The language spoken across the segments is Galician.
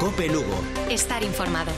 COPE Lugo. Estar informado.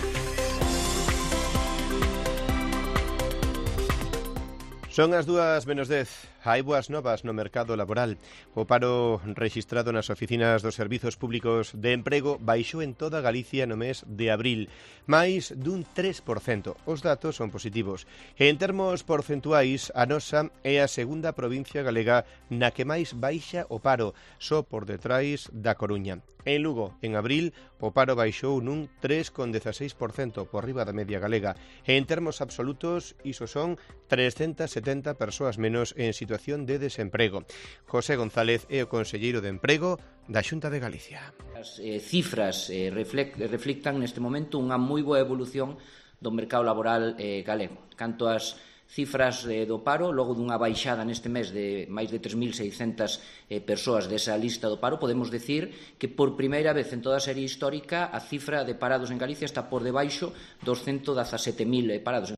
Son as 2:10. Hai boas novas no mercado laboral. O paro rexistrado nas oficinas dos servizos públicos de emprego baixou en toda Galicia no mes de abril, máis dun 3%. Os datos son positivos. En termos porcentuais, a nosa é a segunda provincia galega na que máis baixa o paro, só por detrás da Coruña. En Lugo, en abril, o paro baixou nun 3,16% por riba da media galega. En termos absolutos, iso son 370 persoas menos en situación de desemprego. José González é o conselleiro de Emprego da Xunta de Galicia. As cifras reflictan neste momento unha moi boa evolución do mercado laboral galego. Canto ás cifras do paro, logo dunha baixada neste mes de máis de 3.600 persoas desa lista do paro, podemos decir que por primeira vez en toda a serie histórica a cifra de parados en Galicia está por debaixo dos 117.000 parados.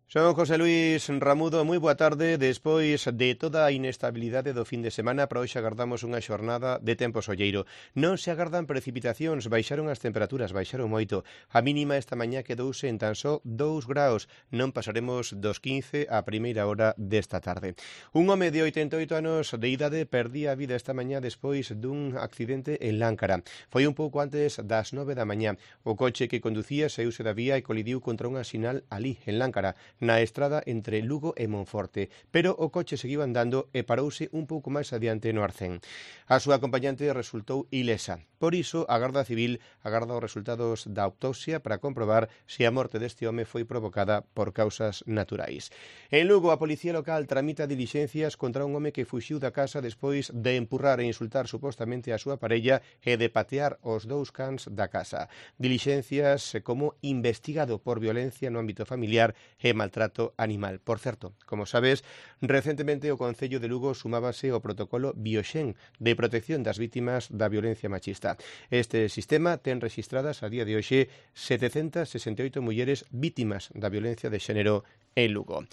Son José Luis Ramudo, moi boa tarde. Despois de toda a inestabilidade do fin de semana, para hoxe agardamos unha xornada de tempo solleiro. Non se agardan precipitacións, baixaron as temperaturas, baixaron moito. A mínima esta mañá quedouse en tan só 2 graus. Non pasaremos dos 15 a primeira hora desta tarde. Un home de 88 anos de idade perdía a vida esta mañá despois dun accidente en Láncara. Foi un pouco antes das 9 da mañá. O coche que conducía saíuse da vía e colidiu contra unha sinal ali, en Láncara, na estrada entre Lugo e Monforte, pero o coche seguiu andando e parouse un pouco máis adiante no Arcén. A súa acompañante resultou ilesa. Por iso, a Garda Civil agarda os resultados da autopsia para comprobar se a morte deste home foi provocada por causas naturais. En Lugo, a Policía Local tramita dilixencias contra un home que fuxiu da casa despois de empurrar e insultar supostamente a súa parella e de patear os 2 cans da casa. Dilixencias como investigado por violencia no ámbito familiar e maltrato animal. Por certo, como sabes, recentemente o Concello de Lugo sumábase ao protocolo Bioxen de protección das vítimas da violencia machista. Este sistema ten rexistradas a día de hoxe 768 mulleres vítimas da violencia de xénero en Lugo.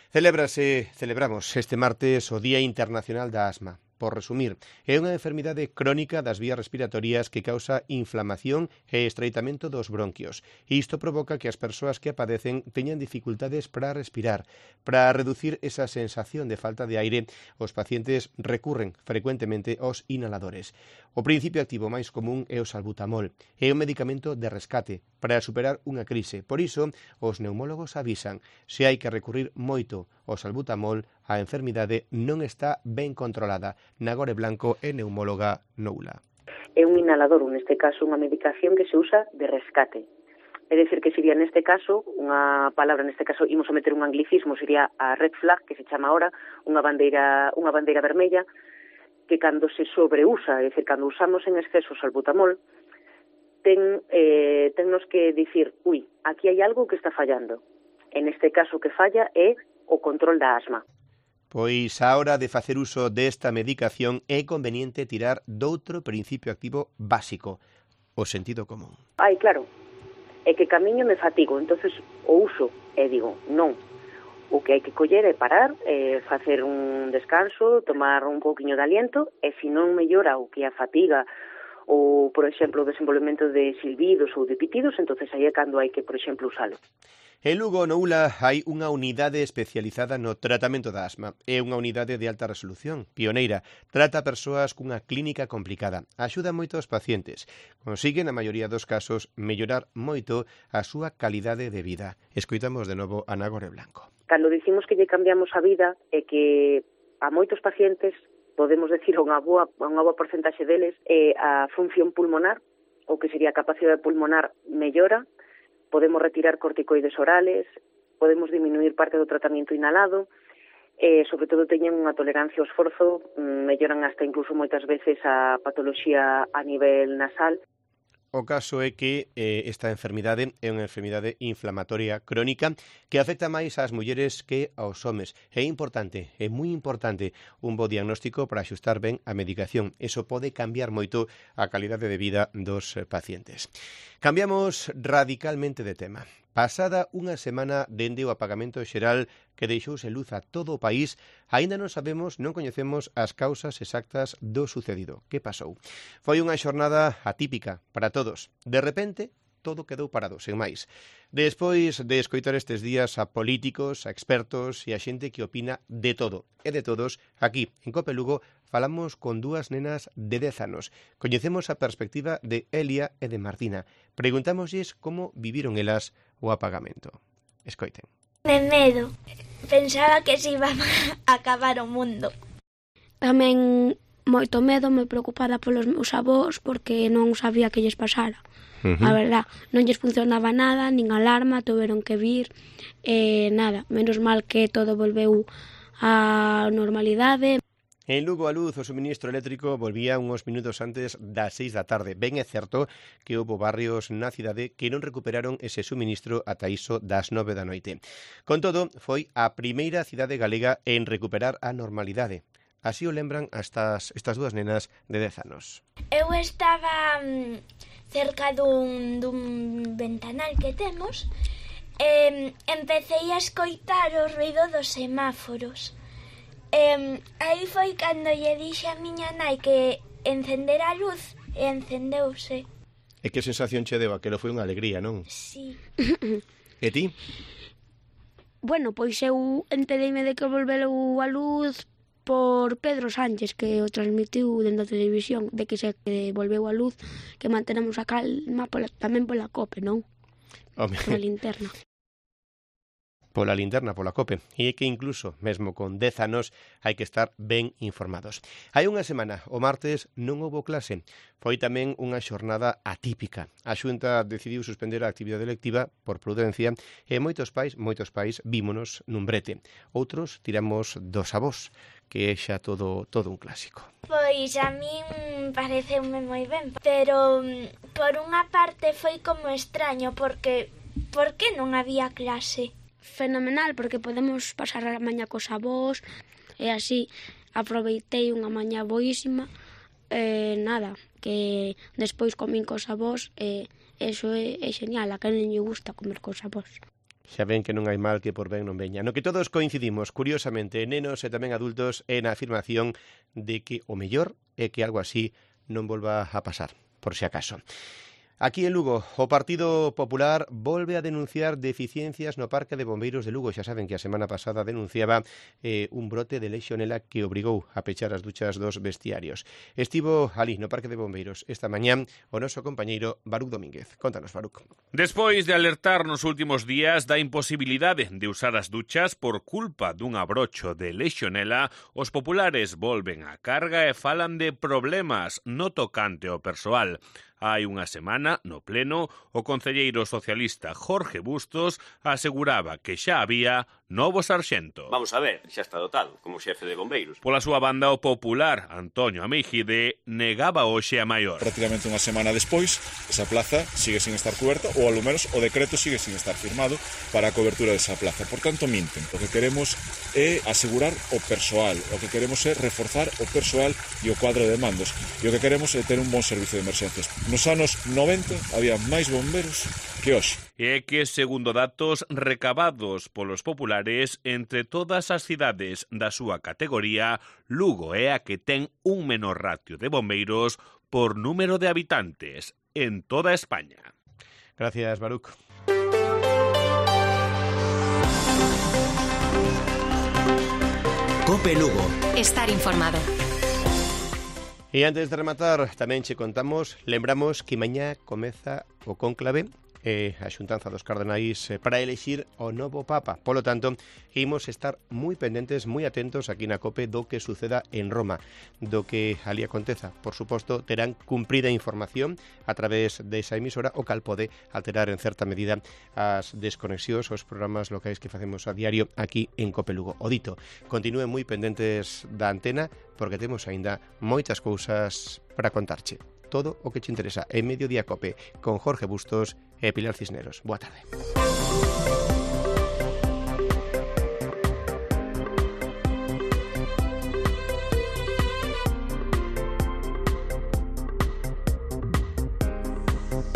Celebramos este martes o Día Internacional da Asma. Por resumir, é unha enfermidade crónica das vías respiratorias que causa inflamación e estreitamento dos bronquios. Isto provoca que as persoas que a padecen teñan dificultades para respirar. Para reducir esa sensación de falta de aire, os pacientes recurren frecuentemente aos inhaladores. O principio activo máis común é o salbutamol. É un medicamento de rescate para superar unha crise. Por iso, os neumólogos avisan, se hai que recurrir moito ao salbutamol, a enfermidade non está ben controlada. Nagore Blanco é neumóloga noula. É un inhalador, neste caso, unha medicación que se usa de rescate. É dicir, que sería neste caso, unha palabra, neste caso, imos a meter un anglicismo, sería a red flag, que se chama ahora, unha bandeira vermella, que cando se sobreusa, é dicir, cando usamos en exceso o salbutamol, tennos que dicir, aquí hai algo que está fallando. En este caso, que falla é o control da asma. Pois a hora de facer uso desta medicación é conveniente tirar doutro principio activo básico, o sentido común. Claro, é que camiño me fatigo, entonces o uso, e digo, non. O que hai que coller é parar, facer un descanso, tomar un pouquiño de aliento, e se non mellora o que a fatiga ou, por exemplo, o desenvolvemento de silbidos ou de pitidos, entonces aí é cando hai que, por exemplo, usalo. En Lugo, no ULA, hai unha unidade especializada no tratamento da asma. É unha unidade de alta resolución, pioneira. Trata a persoas cunha clínica complicada. Axuda moito aos pacientes. Consigue, na maioría dos casos, mellorar moito a súa calidade de vida. Escoitamos de novo a Nagore Blanco. Cando dicimos que lle cambiamos a vida é que a moitos pacientes, podemos decir unha boa porcentaxe deles, a función pulmonar, o que sería a capacidade pulmonar mellora, podemos retirar corticoides orales, podemos disminuir parte do tratamento inhalado, sobre todo teñen unha tolerancia ao esforzo, melloran hasta incluso moitas veces a patoloxía a nivel nasal. O caso é que esta enfermidade é unha enfermidade inflamatoria crónica que afecta máis ás mulleres que aos homes. É importante, é moi importante, un bo diagnóstico para axustar ben a medicación. Eso pode cambiar moito a calidade de vida dos pacientes. Cambiamos radicalmente de tema. Pasada unha semana dende o apagamento xeral que deixou sen luz a todo o país, aínda non sabemos, non coñecemos as causas exactas do sucedido. Que pasou? Foi unha xornada atípica para todos. De repente, todo quedou parado, sen máis. Despois de escoitar estes días a políticos, a expertos e a xente que opina de todo e de todos, aquí, en Cope Lugo, falamos con dúas nenas de 10 anos. Coñecemos a perspectiva de Elia e de Martina. Preguntámoslles como viviron elas o apagamento. Escoiten. De medo. Pensaba que se iba a acabar o mundo. Tamén moito medo, moi preocupada polos meus avós porque non sabía que lles pasara. A verdad, non lles funcionaba nada, nin alarma, tuveron que vir, nada, menos mal que todo volveu á normalidade. En Lugo a luz o suministro eléctrico volvía uns minutos antes das 6 da tarde. Ben é certo que houve barrios na cidade que non recuperaron ese suministro ata iso das 9 da noite. Con todo, foi a primeira cidade galega en recuperar a normalidade. Así o lembran estas dúas nenas de 10 anos. Eu estaba cerca dun ventanal que temos e empecé a escoitar o ruido dos semáforos. Aí foi cando lle dixe a miña nai que encendera a luz e encendeuse. E que sensación che deu? Aquelo foi unha alegría, non? Sí. E ti? Bueno, pois eu entereime de que volveu a luz por Pedro Sánchez, que o transmitiu dentro da televisión, de que se volveu a luz, que mantenemos a calma tamén pola COPE, non? Pola linterna. Pola linterna, pola COPE. E é que incluso, mesmo con 10 anos, hai que estar ben informados. Hai unha semana, o martes, non houbo clase. Foi tamén unha xornada atípica. A Xunta decidiu suspender a actividade lectiva por prudencia e moitos pais vímonos nun brete. Outros tiramos dos avós, que é xa todo un clásico. Pois a min pareceume moi ben, pero por unha parte foi como extraño, porque por que non había clase? Fenomenal, porque podemos pasar a mañá cos avós e así aproveitei unha mañá boísima nada, que despois comín cos avós e eso é genial, a quen non lle gusta comer cos avós. Xa ven que non hai mal que por ben non veña. No que todos coincidimos, curiosamente, nenos e tamén adultos, en a afirmación de que o mellor é que algo así non volva a pasar, por si acaso. Aquí en Lugo, o Partido Popular volve a denunciar deficiencias no Parque de Bombeiros de Lugo. Xa saben que a semana pasada denunciaba un brote de lexionela que obrigou a pechar as duchas dos vestiarios. Estivo ali no Parque de Bombeiros esta mañá o noso compañeiro Baruc Domínguez. Contanos, Baruc. Despois de alertar nos últimos días da imposibilidade de usar as duchas por culpa dun abrocho de lexionela, os populares volven á carga e falan de problemas no tocante ao persoal. Hai unha semana, no pleno, o concelleiro socialista Jorge Bustos aseguraba que xa había novo sarxento. Vamos a ver, xa está dotado como xefe de bombeiros. Pola súa banda, o popular Antonio Amígide negaba hoxe a maior. Prácticamente unha semana despois, esa plaza sigue sin estar coberta, ou ao menos o decreto sigue sin estar firmado para a cobertura desa plaza. Por tanto, minten. O que queremos é asegurar o persoal, o que queremos é reforzar o persoal e o cuadro de mandos, e o que queremos é ter un bon servicio de emerxencias. Nos anos 90 había máis bomberos que hoxe. E que, segundo datos recabados polos populares, entre todas as cidades da súa categoría, Lugo é a que ten un menor ratio de bombeiros por número de habitantes en toda España. Gracias, Baruc. Cope Lugo. Estar informado. E antes de rematar, tamén che contamos, lembramos que mañá comeza o cónclave a xuntanza dos cardenais para elexir o novo Papa. Polo tanto, imos estar moi pendentes, moi atentos aquí na COPE do que suceda en Roma, do que ali aconteza. Por suposto, terán cumprida información a través desa emisora, o cal pode alterar en certa medida as desconexións, os programas locais que facemos a diario aquí en COPE Lugo. O dito, continúen moi pendentes da antena, porque temos aínda moitas cousas para contarche. Todo o que te interesa en Mediodía Cope con Jorge Bustos e Pilar Cisneros. Boa tarde.